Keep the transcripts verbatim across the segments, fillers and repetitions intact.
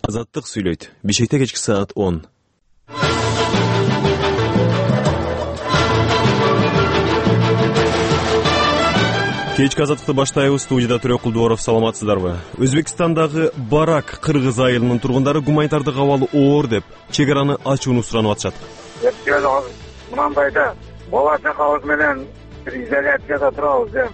Азаттык сүйлөйт. Бишкекте кечки саат он. Кечки азаттыкты баштайбыз. Студияда Төрөкулдуоров, саламатсыздарбы? Өзбекстандагы Барак кыргыз айылынын тургундары гуманитардык абалы оор деп чек араны ачууну суранып атышат. Мындайда бала чакабыз менен бир изоляцияда турабыз деп.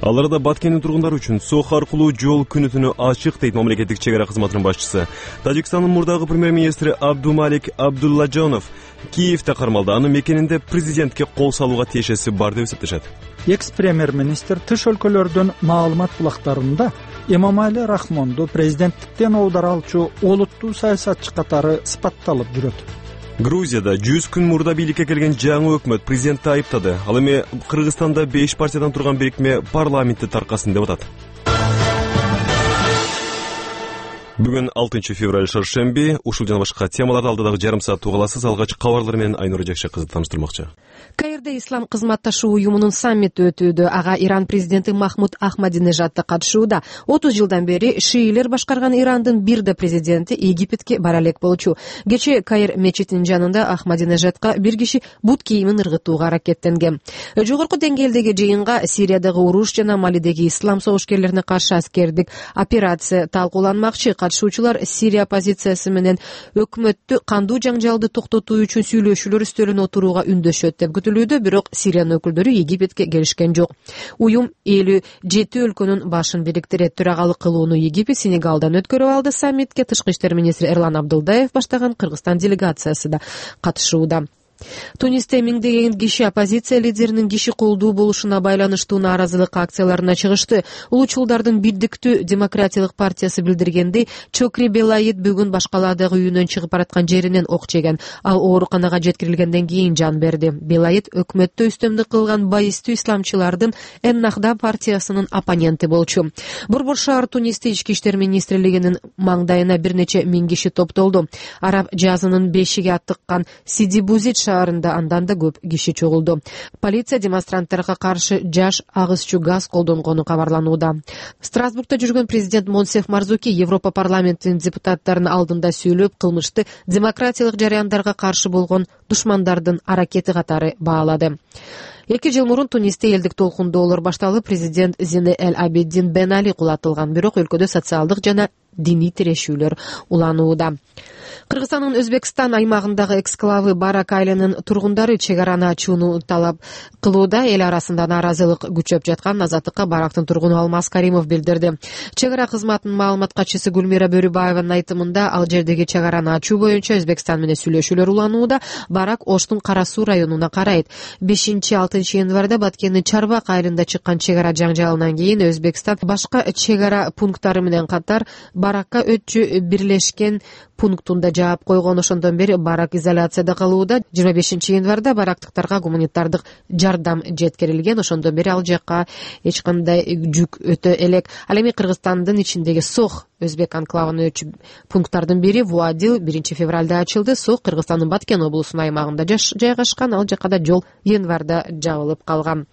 Алар да Баткендин тургундары үчүн сох аркылуу жол күнү түнү ачык дейт мамлекеттик чек ара кызматынын башчысы. Тажикстандын мурдагы премьер-министри Абдумалик Абдуллажонов Киевде кармалды. Анын мекенинде президентке кол салууга тиешеси бар деп эсептешет. Экс-премьер-министр тыш өлкөлөрдүн маалымат булактарында Эмомали Рахмонду президенттиктен оодаралчу олуттуу саясатчы катары сыпатталып жүрөт. Грузияда жүз күн мурда бийликке келген жаңы өкмөт президентти айыптады. Ал эми Кыргызстанда беш партиядан турган бирикме парламентти таркасын деп атат. Бүгүн алтынчы февраль шаршемби. Ушул жана башка темаларды алдыдагы жарым саатта угаласыз. Алгач кабарлар менен Айнура Жакшыкызы тааныштырмакчы. Каирде Ислам кызматташуу уюмунун саммити өтүүдө. Ага Иран президенти Махмуд Ахмадинежад катышууда. отуз жылдан бери шиилер башкарган Ирандын бирде президенти Египетке бара элек болчу. Кечээ Каир мечитинин жанында Ахмадинежадка бир киши бут кийимин ыргытууга аракеттенген. Жогорку деңгээлдеги жыйынга Сириядагы уруш жана Малидеги ислам согушкерлерине каршы аскердик операция талкууланмакчы. Катышуучулар Сирия оппозициясы менен өкмөттү кандуу жаңжалды токтотуу үчүн сүйлөшүүлөр үстөлүнө отурууга үндөшөт деп күтүлүүдө, бирок Сириянын өкүлдөрү Египетке келишкен жок. Уюм элүү жети өлкөнүн башын бириктирет. Төрагалык кылууну Египет Сенегалдан өткөрүп алды. Саммитке тышкы иштер министри Эрлан Абдылдаев баштаган Кыргызстан делегациясы да катышууда. Тунисте миңдеген киши оппозиция лидеринин киши колдуу болушуна байланыштуу нааразылык акцияларына чыгышты. Улуучулдардын бирдиктүү демократиялык партиясы билдиргендей, Чокри Белаид бүгүн башкалаадагы үйүнөн чыгып бараткан жеринен ок жеген. Ал ооруканага жеткирилгенден кийин жан берди. Белаид өкмөттө үстөмдүк кылган баистүү исламчылардын Эннахда партиясынын оппоненти болчу. Борбор шаар Тунисте ички иштер министрлигинин маңдайына бир нече миң киши топтолду. Араб жазынын бешиги аттыккан Сиди Бузит шаарында андан да көп киши чогулду. Полиция демонстранттарга каршы жаш агызчу газ колдонгону кабарланууда. Страсбургда жүргөн президент Монсеф Марзуки Европа парламентинин депутаттарынын алдында сүйлөп, кылмышты демократиялык жараяндарга каршы болгон душмандардын аракети катары баалады. Эки жыл мурун Тунисте элдик толкундоолор башталып, президент Зине Эль Абидин Бен Али кулатылган, бирок өлкөдө социалдык жана диний тирешүүлөр уланууда. Кыргызстандын Өзбекстан аймагындагы эксклавы Барак айылынын тургундары чек араны ачууну талап кылууда. Эл арасында нааразылык күчөп жаткан Азаттыкка Барактын тургуну Алмаз Каримов билдирди. Чек ара кызматынын маалымат катчысы Гүлмира Бөрүбаеванын айтымында, ал жердеги чек араны ачуу боюнча Өзбекстан менен сүйлөшүүлөр уланууда. Барак Оштун Кара Суу районуна карайт. бешинчи алтынчы январда Баткендин Чарбак айылында чыккан чек ара жаңжалынан кийин Өзбекстан башка чек ара пункттары менен катар Баракка өтчү бирлешкен пунктунда жаап койгон. Ошондон бери Барак изоляцияда калууда. жыйырма бешинчи январда барактыктарга гуманитардык жардам жеткирилген. Ошондон бери ал жакка эч кандай жүк өтө элек. Ал эми Кыргызстандын ичиндеги Сох Өзбек анклавынын өтчү пункттардын бири Вуадил биринчи февралда ачылды. Сох Кыргызстандын Баткен облусунун аймагында жайгашкан. Ал жакка да жол январда жабылып калган.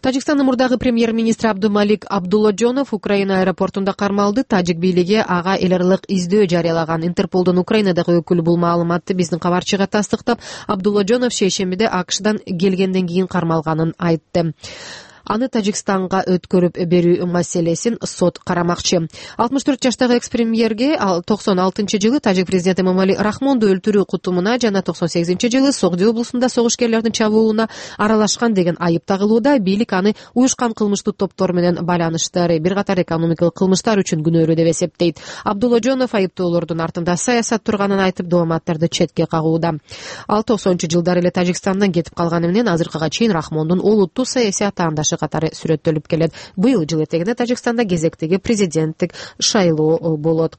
Тажикстандын мурдагы премьер-министри Абдумалик Абдуллажонов Украина аэропортунда кармалды. Тажик бийлиги ага эл аралык издөө жарыялаган. Интерполдун Украинадагы өкүлү бул маалыматты биздин кабарчыга тастыктап, Абдуллажонов шейшембиде АКШдан келгенден кийин кармалганын айтты. Аны Тажикстанга өткөрүп берүү маселесин сот карамакчы. алтымыш төрт жаштагы экс-премьерге токсон алтынчы жылы тажик президенти Эмомали Рахмонду өлтүрүү кутумуна жана токсон сегизинчи жылы Согди облусунда согушкерлердин чабуулуна аралашкан деген айып тагылууда. Бийлик аны уюшкан кылмыштуу топтор менен байланыштары, бир катар экономикалык кылмыштар үчүн күнөөлүү деп эсептейт. Абдуллажонов айыптоолордун артында саясат турганын айтып, дипломаттарды четке кагууда. Ал токсонунчу жылдары эле Тажикстандан кетип калганы менен азыркыга чейин Рахмондун олуттуу саясий атаандашы катары сүрөттөлүп келет. Быйыл жыл этегинде Тажикстанда кезектеги президенттик шайлоо болот.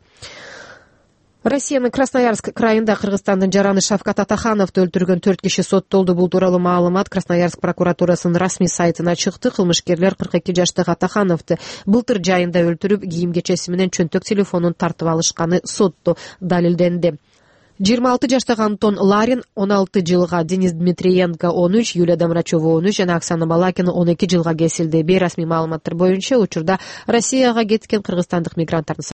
Россиянын Красноярск крайында Кыргызстандын жараны Шавкат Атахановду өлтүргөн төрт киши соттолду. Бул тууралуу маалымат Красноярск прокуратурасынын расмий сайтына чыкты. Кылмышкерлер кырк эки жаштагы Атахановду былтыр жайында өлтүрүп, кийим кечеси менен чөнтөк телефонун тартып алышканы сотто далилденди. жыйырма алты жаштагы Антон Ларин он алты жылга, Денис Дмитриенко он үч, Юлия Домрачева он үч жана Оксана Балакина он эки жылга кесилди. Бейрасмий маалыматтар боюнча учурда Россияга кеткен кыргызстандык мигранттардын